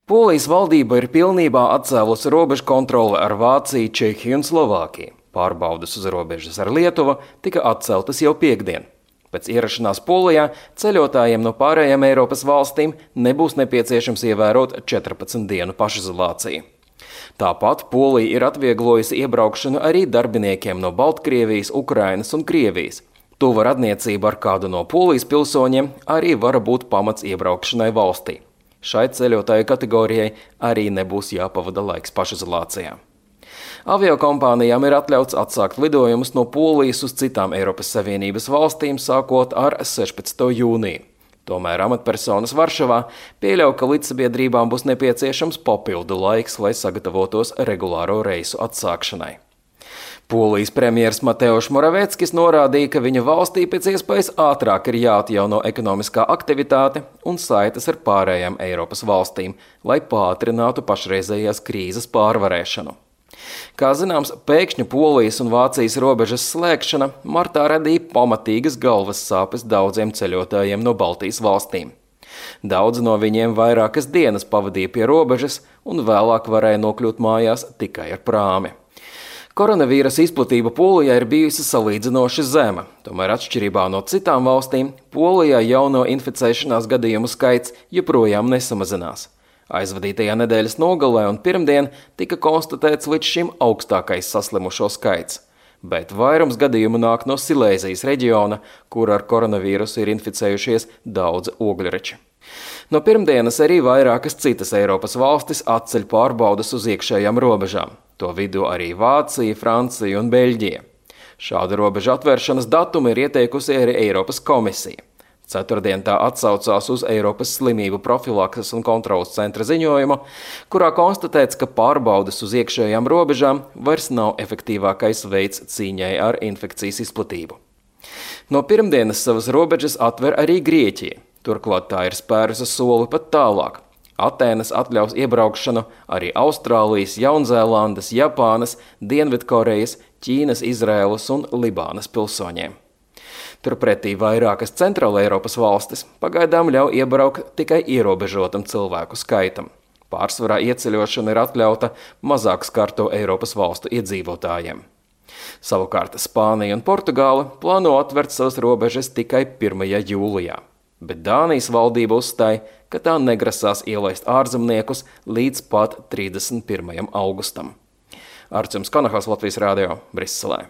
Polijas valdība ir pilnībā atcēlusi robežu kontroli ar Vāciju, Čehiju un Slovākiju. Pārbaudes uz robežas ar Lietuvu tika atceltas jau piektdien. Pēc ierašanās Polijā ceļotājiem no pārējām Eiropas valstīm nebūs nepieciešams ievērot 14 dienu pašizolāciju. Tāpat Polija ir atvieglojusi iebraukšanu arī darbiniekiem no Baltkrievijas, Ukrainas un Krievijas. Tuva radniecība ar kādu no Polijas pilsoņiem arī var būt pamats iebraukšanai valstī. Šai ceļotāju kategorijai arī nebūs jāpavada laiks pašizolācijā. Aviokompānijām ir atļauts atsākt lidojumus no Polijas uz citām Eiropas Savienības valstīm sākot ar 16. jūniju. Tomēr amatpersonas Varšavā pieļauj, ka līdzsabiedrībām būs nepieciešams papildu laiks, lai sagatavotos regulāro reisu atsākšanai. Polijas premjers Mateusz Moraveckis norādīja, ka viņa valstī pēc iespējas ātrāk ir jāatjauno ekonomiskā aktivitāte un saites ar pārējām Eiropas valstīm, lai pātrinātu pašreizējās krīzes pārvarēšanu. Kā zināms, pēkšņa Polijas un Vācijas robežas slēgšana martā radīja pamatīgas galvas sāpes daudziem ceļotājiem no Baltijas valstīm. Daudzi no viņiem vairākas dienas pavadīja pie robežas un vēlāk varēja nokļūt mājās tikai ar prāmi. Koronavīrusa izplatība Polijā ir bijusi salīdzinoši zema, tomēr atšķirībā no citām valstīm, Polijā jauno inficēšanās gadījumu skaits joprojām nesamazinās. Aizvadītajā nedēļas nogalē un pirmdien tika konstatēts līdz šim augstākais saslimušo skaits, bet vairums gadījumu nāk no Silēzijas reģiona, kur ar koronavīrusu ir inficējušies daudzi ogļreči. No pirmdienas arī vairākas citas Eiropas valstis atceļ pārbaudas uz iekšējām robežām. To vidū arī Vācija, Francija un Beļģija. Šādu robežu atvēršanas datumu ir ieteikusi arī Eiropas komisija. Ceturtdien tā atsaucās uz Eiropas slimību profilakses un kontrolas centra ziņojumu, kurā konstatēts, ka pārbaudes uz iekšējām robežām vairs nav efektīvākais veids cīņai ar infekcijas izplatību. No pirmdienas savas robežas atver arī Grieķija. Turklāt tā ir spērusi soli pat tālāk. Atēnas atļaus iebraukšanu arī Austrālijas, Jaunzēlandes, Japānas, Dienvidkorejas, Ķīnas, Izraēlas un Libānas pilsoņiem. Turpretī vairākas Centrāla Eiropas valstis pagaidām ļauj iebraukt tikai ierobežotam cilvēku skaitam. Pārsvarā ieceļošana ir atļauta mazāk skarto Eiropas valstu iedzīvotājiem. Savukārt Spānija un Portugāla plāno atvert savas robežas tikai 1. jūlijā. Bet Dānijas valdība uzstāja, ka tā negrasās ielaist ārzemniekus līdz pat 31. augustam. Arčuns Kanahals, Latvijas Rādio, Briselē.